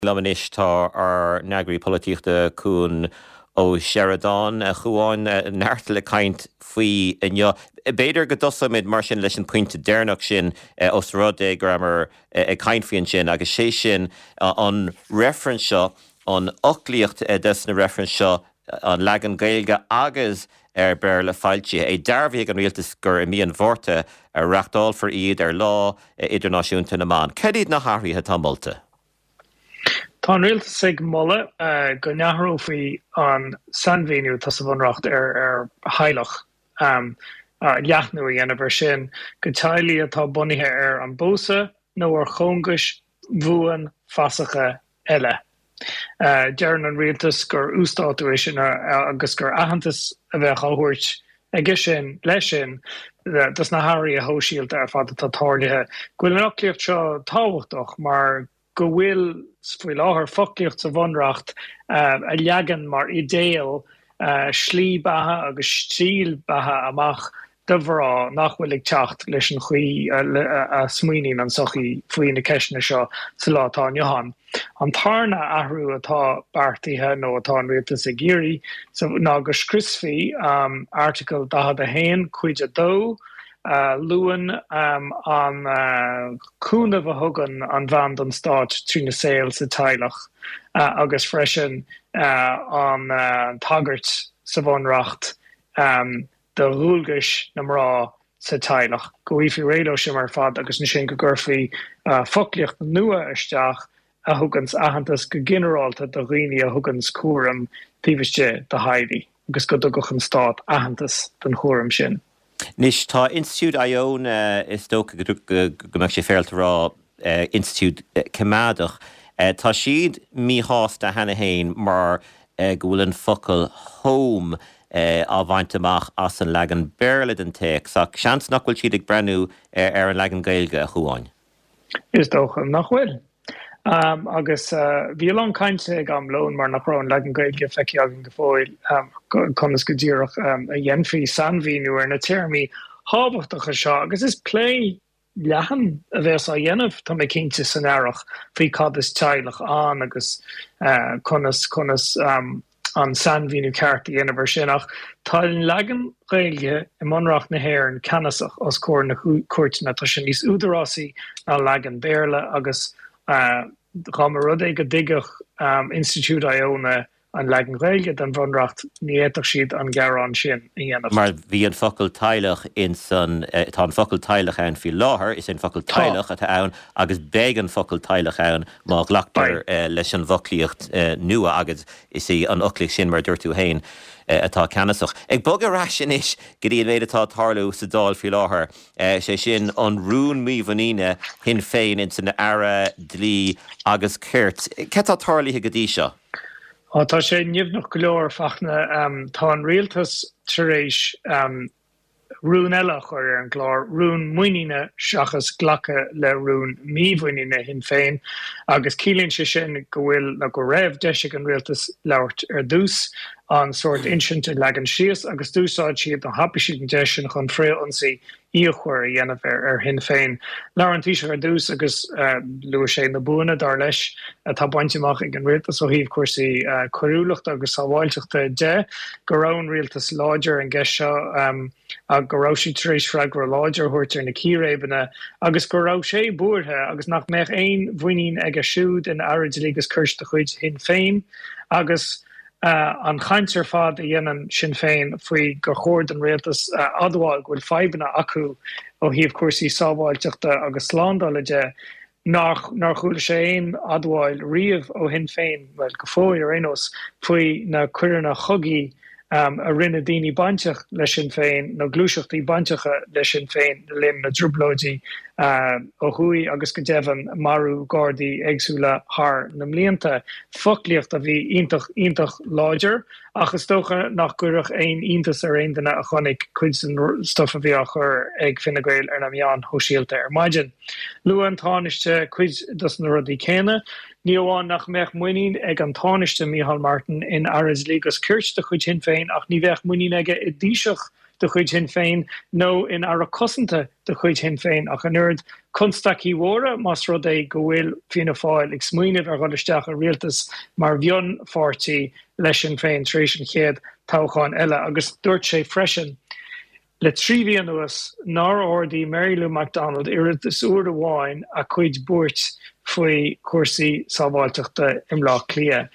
Liom anois tá ár n-eagraí polaitíochta Cuan Ó Seireadáin. A Chuáin, neart le caint faoi inniu. B'fhéidir go dtosóimid mar sin leis an pointe deireanach sin os rud é go rabhamar ag caint faoi ansin agus sé sin an reifreann seo, an fhoclaíocht des na reifrinn seo, an leagan Gaeilge agus ar Béarla foilsithe. É dearbhaithe ag an Rialtas gur i mí an Mhárta a reachtálfar iad ar Lá Idirnáisiúnta na mBan. Cad iad na hathruithe atá molta? Tá an rialtas ag moladh go n-athrófaí an sainmhíniú atá sa Bhunreacht ar theaghlach, leathnú a dhéanamh air sin go teaghlaigh atá bunaithe ar an bpósadh nó ar chóngais bhuan fasacha eile. Deireann an rialtas gur uasdátú é sin agus gur aitheantas a bheadh á thabhairt aige sin, leis sin, dos na hathruithe shóisialta ar fad atá tarlaithe, go bhfuil an fhoclaíocht seo tábhachtach mar go bhfuil faoi láthair foclaíocht sa Bhunreacht a leagann mar idéal slí beatha agus stíl beatha amach do mhná nach bhfuil ag teacht leis an chaoi a smaoiníonn an tsochaí faoi na ceisteanna seo sa lá atá inniu ann. An tarna athrú atá beartaithe, nó atá an rialtas ag iarraidh, ná go scriosfaí Airteagal 41, Cuid 2, a luann an cúnamh a thugann an bhean don stát trína saol sa teaghlach agus freisin an tagairt sa Bhunreacht do dhualgais na mná sa teaghlach, go bhfaighfí réidh leo sin ar fad agus ansin go gcuirfí foclaíocht nua isteach a thuganns aitheantas go ginearálta do dhaoine a thuganns cúram taobh istigh de theaghlaigh agus go dtugfadh an stát aitheantas don chúram sin. Anois, tá Institiúid Iona, is dócha go mbeadh sé féaráilte a rá, institiúid coimeádach, tá siad míshásta cheana féin mar go bhfuil an focal 'home' á bhaint amach as an leagan Béarla den téacs, ach seans nach bhfuil siad ag breathnú ar an leagan Gaeilge, a Chuáin. Is dócha nach bhfuil. Agus bhí a lán cainte ag am lóin mar nach raibh an leagan Gaeilge feicthe againn go fóill conas go díreach a dhéanfaí sainmhíniú ar na téarmaí thábhachtacha seo agus is plé leathan a bheas á dhéanamh, tá mé cinnte, san earrach faoi cad is teaghlach ann agus conas conas an sainmhíniú ceart a dhéanamh air sin. Ach tá an leagan Gaeilge i mBunreacht na hÉireann ceannasach os comhair na cúirteanna, tá sé níos údarásaí ná an leagan Béarla agus dá mba rud é go dtuigfeadh Institiúid Iona an leagan Gaeilge den Bhunreacht, ní fhéadfadh siad an gearán sin a dhéanamh. Mar bhí an focal teaghlach ins an, tá an focal teaghlach ann faoi láthair, is é an focal teaghlach atá ann agus beidh an focal teaghlach ann má ghlactar leis an bhfoclaíocht nua agus is í an fhoclaíocht sin, mar a dúirt tú féin, atá ceannasach. Ag bogadh ar ais anois go dtí an méid atá ag tarlú sa Dáil faoi láthair, sé sin an rún mímhuiníne Shinn Féin ins an Aire Dlí agus Cirt. Cad tá tarlaithe go dtí seo? Á, tá sé nimhneach go leor, Fachtna. Tá an rialtas tar éis rún eile a chur ar an gclár, rún muiníne seachas glacadh le rún mímhuiníne Shinn Féin, agus ciallaíonn sé sin go bhfuil, nó go raibh, deis ag an rialtas labhairt ar dtús, an sórt insint a leagan síos, agus d'úsáid siad, nó thapaigh siad an deis sin chun frith-ionsaí fhíochmhar a dhéanamh ar Shinn Féin. Labhair an Taoiseach ar dtús agus luaigh sé na buanna, dar leis, atá bainte amach ag an rialtas ó thaobh cúrsaí coiriúlachta agus sábháilteachta de, go raibh an rialtas láidir ar an gceist seo, go raibh siad tar éis freagra láidir a thabhairt ar na círéibeanna agus go raibh sé buartha agus nach mbeadh aon mhuinín aige siúd in Aire Dlí agus Cirt de chuid Shinn Féin agus An chaint ar fad a dhéanann Sinn Féin faoi gur chóir don rialtas a admháil go bhfuil fadhbanna acu ó thaobh cúrsaí sábháilteachta agus slándála de, nár chuala sé aon admháil riamh ó Shinn Féin, bhuel, go fóill ar aon nós, faoi na coireanna chogaidh a rinne daoine bainteach le Sinn Féin nó gluaiseachtaí bainteacha le Sinn Féin le linn na dTrioblóidí ó thuaidh agus go deimhin marú Gardaí éagsúla thar na mblianta. Foclaíocht a bhí iontach, iontach láidir ach is dócha nach gcuirfeadh aon iontas ar aon duine a chonaic cuid den stuif a bhí á chur ag Fine Gael ar na meáin shóisialta ar maidin. Luaigh an Tánaiste cuid dos na rudaí céanna. Ní amháin nach mbeadh muinín ag an Tánaiste Micheál Martin in Aire Dlí agus Cirt de chuid Shinn Féin ach ní bheadh muinín aige i dTaoiseach. de chuid Shinn Féin nó in Aire Cosanta de chuid Shinn Féin ach an oiread. Constaicí mhóra más rud é go bhfuil Fianna Fáil ag smaoineamh ar dhul isteach i rialtas mar mhionpháirtí le Sinn Féin tar éis an chéad toghcháin eile agus dúirt sé freisin le 3 mhí anuas nár ardaigh Mary Lou McDonald oiread is uair amháin a cuid buairt faoi chúrsaí sábháilteachta i mBleá Cliath.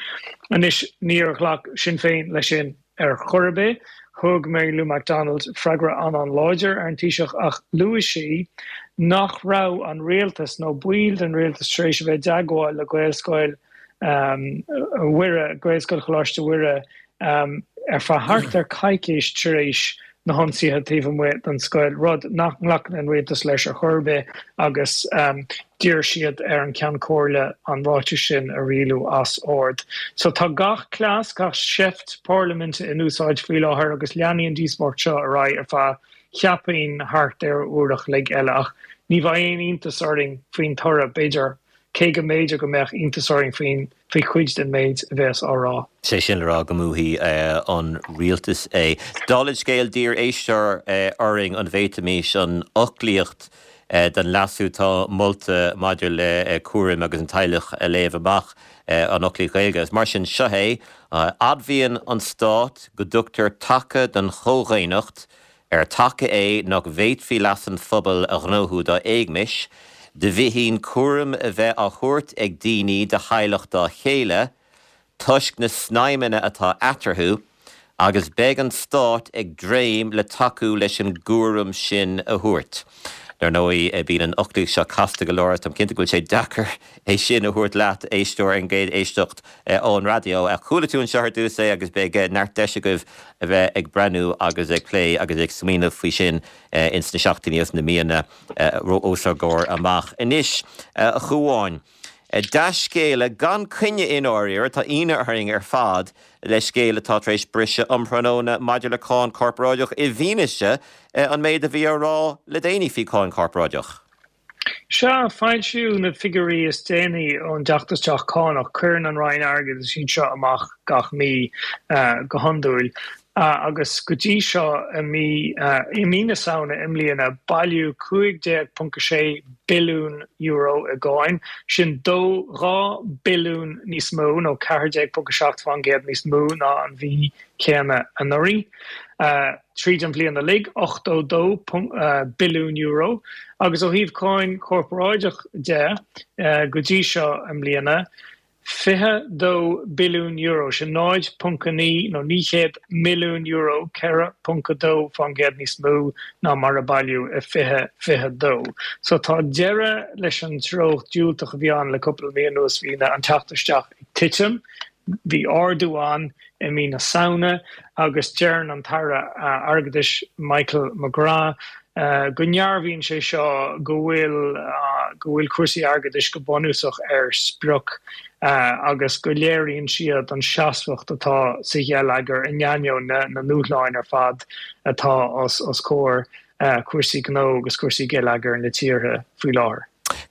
Anois níor ghlac Sinn Féin leis sin ar chor ar bith. Thug Mary Lou McDonald freagra an-an-láidir ar an Taoiseach ach luaigh sí nach raibh an rialtas nó baill den rialtas tar éis a bheith i dteagmháil le Gaelscoil Mhuire, Gaelscoil Choláiste Mhuire, ar feadh thart ar coicís tar éis na hionsaithe taobh amuigh den scoil, rud nach nglacann an rialtas leis ar chor ar bith agus d'iarr siad ar an Ceann Comhairle an ráiteas sin a rialú as ord. So tá gach cleas, gach seift parlaiminte in úsáid faoi láthair agus leanfaidh an díospóireacht seo ar aghaidh ar feadh, cheapfainn, thart ar uair a chloig eile. Ach ní bheidh aon iontas orainn faoin toradh, b'fhéidir. cé go mb'fhéidir go mbeadh iontas orainn faoin faoi chuid den méid a bheas á rá. Sé sin le rá go mbuafaidh an rialtas é. Dála an scéil, d'iarr éisteoir orainn an bhféadfaimis an fhoclaíocht den leasú atá molta maidir le cúram agus an teaghlach a léamh amach, an fhoclaíocht Ghaeilge. Agus mar sin, seo é, Admhaíonn an Stát go dtugtar taca don chomhdhaonnacht, ar taca é nach bhféadfaí leas an phobail a ghnóthú dá éagmais, de bhíthin cúram a bheith á thabhairt ag daoine de theaghlach dá chéile, toisc na snaidhmeanna atá eatarthu, agus beidh an Stát ag dréim le tacú leis an gcúram sin a thabhairt. Dar ndóigh, bíonn an fhoclaíocht seo casta go leor agus táim cinnte go bhfuil sé deacair é sin a thabhairt leat, éisteoir, ar an gcéad éisteacht ón raidió. Chuala tú anseo ar dtús é agus beidh neart deis agaibh a bheith ag breathnú agus ag plé agus ag smaoineamh faoi sin ins na seachtainí agus na míonna os ár gcomhair amach. Anois, a Chuáin, dea-scéala gan coinne i ndáiríre, tá ionadh orainn ar fad le scéal atá tar éis briseadh um thráthnóna maidir le cáin chorparáideach i bhfianaise an méid a bhí á rá le déanaí faoi cháin chorparáideach. Sea, foilsíodh na figiúirí is déanaí ón dteacht isteach cánach. Cuireann an Roinn Airgeadais iad seo amach gach mí go hiondúil. Agus go dtí seo i mí i mí na Samhna i mbliana bailíodh €15.6 billiún i gcáin, sin 2 billiún níos mó nó 14.7% níos mó ná an mhí chéanna anuraidh. Tríd an bhliain uilig, €82 billiún, agus ó thaobh cáin chorparáideach de, go dtí seo i mbliana, €22 billiún, sin 0.9 nó €900 milliún, 4.2% níos mó ná mar a bailíodh i 2022. So tá deireadh leis an treocht diúltach a bhí ann le cúpla mí anuas, bhí an teacht isteach ag titim. Bhí ardú ann i mí na Samhna agus deireann an tAire Airgeadais Michael McGrath go ndearbhaíonn sé seo go bhfuil go bhfuil cúrsaí airgeadais go bunúsach ar sprioc agus go léiríonn siad an seasmhacht atá sa gheilleagar in ainneoin na ndúshláin ar fad atá os comhair cúrsaí gnó agus cúrsaí geilleagair na tíre faoi láthair.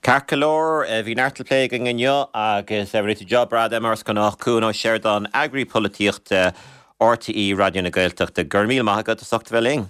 Ceart go leor, bhí neart le plé againn inniu agus rinne tú job breá de mar is gnách, Cuan Ó Seireadáin, Eagraí Polaitíochta RTÉ Raidió na Gaeltachta. Go raibh míle maith agat as ucht a bheith linn.